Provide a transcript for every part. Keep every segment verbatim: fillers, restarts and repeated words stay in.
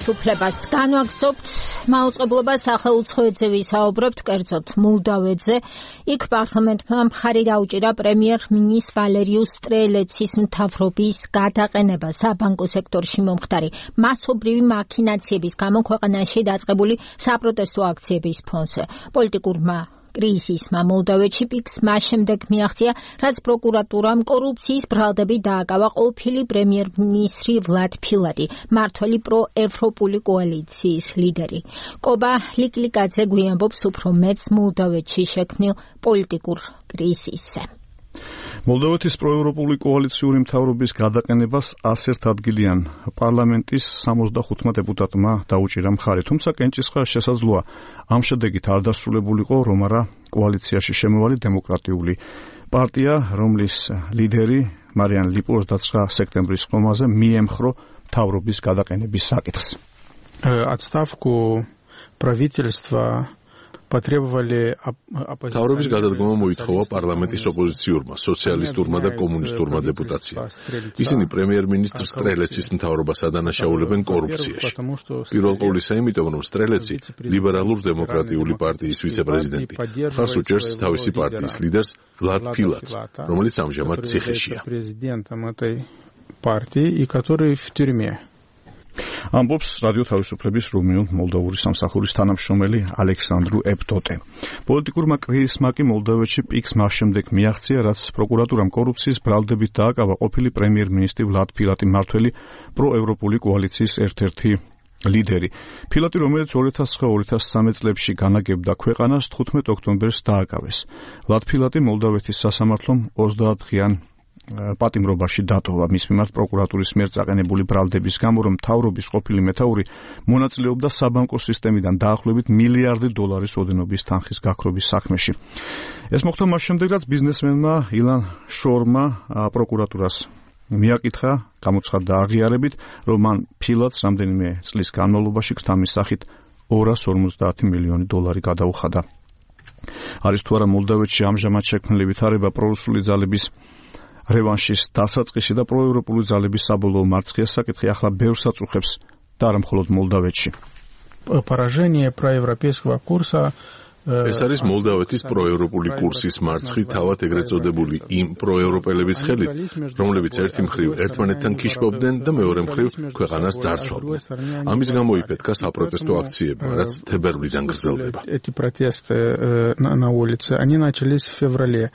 თავისუფლებას განვაგრძობთ, მაუწყებლობა სახელმწიფოებზე ვისაუბრებთ, კერძოდ მოლდავეთზე. იქ პარლამენტმა მხარი დაუჭირა პრემიერ-მინისტრ ვალერიუს სტრელეცის მთავრობის გადაყენება საბანკო სექტორში მომხდარი მასობრივი მაქინაციების გამო ქვეყანაში დაწყებული საპროტესტო აქციების ფონზე. პოლიტიკურმა კრიზისმა მოლდავეთში პიკს მას შემდეგ მიაღწია, რაც პროკურატურამ კორუფციის ბრალდებით დააკავა ყოფილი პრემიერ-მინისტრი ვლად ფილატი, მმართველი პროევროპული კოალიციის ლიდერი. კობა ლიკლიკაძე გვიამბობს უფრო მეტს მოლდავეთში შექმნილ პოლიტიკურ კრიზისზე. მოლდოვეთის პროევროპული კოალიციური მთავრობის გადაყენებას ასერთადგილიან პარლამენტის სამოცდახუთმა დეპუტატმა დაუჭირა მხარი, თუმცა კენჭისყრა შესაძლოა ამ შედეგით არ დასრულებულიყო, რომ არა კოალიციაში შემოვალი დემოკრატიული პარტია, რომლის ლიდერი მარიან ლიპო ოცდაცხრა სექტემბრის ხომაზე მიემხრო მთავრობის გადაყენების საკითხს. Отставку правительства თავრობის გადადგომა მოითხოვა პარლამენტის ოპოზიციურმა, სოციალისტურმა და კომუნისტურმა დეპუტაციამ. ისინი პრემიერ-მინისტრ სტრელეცის მთავრობას ადანაშაულებენ კორუფციაში. პირველ ყოვლისა იმიტომ, რომ სტრელეცი ლიბერალურ-დემოკრატიული პარტიის ვიცე-პრეზიდენტი, მხარს უჭერს თავისი პარტიის ლიდერს ვლად ფილატს, რომელიც ამჟამად ციხეშია. ამბობს რადიო თავისუფლების რუმინულ მოლდოვური სამსახურის თანამშრომელი ალექსანდრუ ეპტოტე. პოლიტიკურმა კრიზისმა კი მოლდოვეთში პიკს მას შემდეგ მიაღწია, რაც პროკურატურამ კორუფციის ბრალდებით დააკავა ყოფილი პრემიერ-მინისტრი ვლად ფილატი, მმართველი პროევროპული კოალიციის ერთ-ერთი ლიდერი. ფილატი, რომელიც ორი ათას ცხრა ორი ათას სამი წლებში განაგებდა ქვეყანას, თხუთმეტ ოქტომბერს დააკავეს. ვლად ფილატი მოლდოვეთის სასამართლომ ოცდაათდღიან პატიმრობაში დატოვა მის მიმართ პროკურატურის მიერ წაყენებული ბრალდების გამო, რომ მთავრობის ყოფილი მეთაური მონაწილეობდა საბანკო სისტემიდან დაახლოებით მილიარდი დოლარის ოდენობის თანხის გაქრობის საქმეში. ეს მოხდა მას შემდეგ, რაც ბიზნესმენმა ილან შორმა პროკურატურას მიაკითხა, გამოცხადდა აღიარებით, რომ მან ფილატს რამდენიმე წლის განმავლობაში ქთამის სახით ორას ორმოცდაათი მილიონი დოლარი გადაუხადა. არის თუ არა მოლდოვეთში ამჟამად შექმნილი ვითარება პრორუსული ძალების რევანშის დასაწყისი და პროევროპული ძალების საბოლოო მარცხის საკითხი ახლა ბევრს აწუხებს და არა მხოლოდ მოლდოვეთში. Поражение проевропейского курса ეს არის მოლდოვეთის პროევროპული კურსის მარცხი, თავად ეგრეთ წოდებული იმ პროევროპელების ხელით, რომლებიც ერთი მხრივ ერთმანეთთან ქიშბობდნენ და მეორე მხრივ ქვეყანას ძარცვავდნენ. ამის გამო იფეთქა საპროტესტო აქციებმა, რაც თებერვლიდან გრძელდება. Эти протесты на улице, они начались в феврале.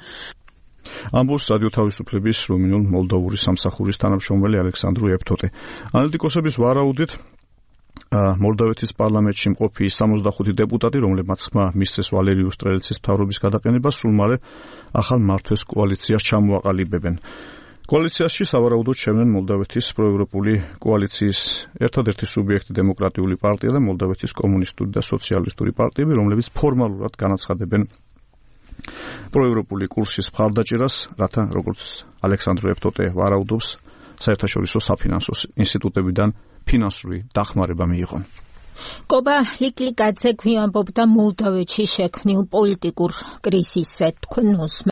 ამბობს რადიო თავისუფლების რუმინულ მოლდოვური სამსახურის თანამშრომელი ალექსანდრუ ეპტოტე. ანალიტიკოსების ვარაუდით, მოლდოვეთის პარლამენტში მყოფი სამოცდახუთი დეპუტატი, რომლებმაც ხმა მისცეს ვალერიუს სტრელეცის მთავრობის გადაყენებას, სულ მალე ახალ მმართველს კოალიციას ჩამოაყალიბებენ. კოალიციაში სავარაუდოდ შევლენ მოლდოვეთის პროევროპული კოალიციის ერთადერთი სუბიექტი დემოკრატიული პარტია და მოლდოვეთის კომუნისტური და სოციალისტური პარტიები, რომლებიც ფორმალურად განაცხადებენ პროევროპული კურსის მხარდაჭერას, რათა, როგორც ალექსანდრუ ეპტოტე ვარაუდობს, საერთაშორისო საფინანსო ინსტიტუტებიდან ფინანსური დახმარება მიიღონ. კობა ლიკლიკაძე გვიამბობდა მოლდოვეთში შექმნილ პოლიტიკურ კრიზისზე. თქვენ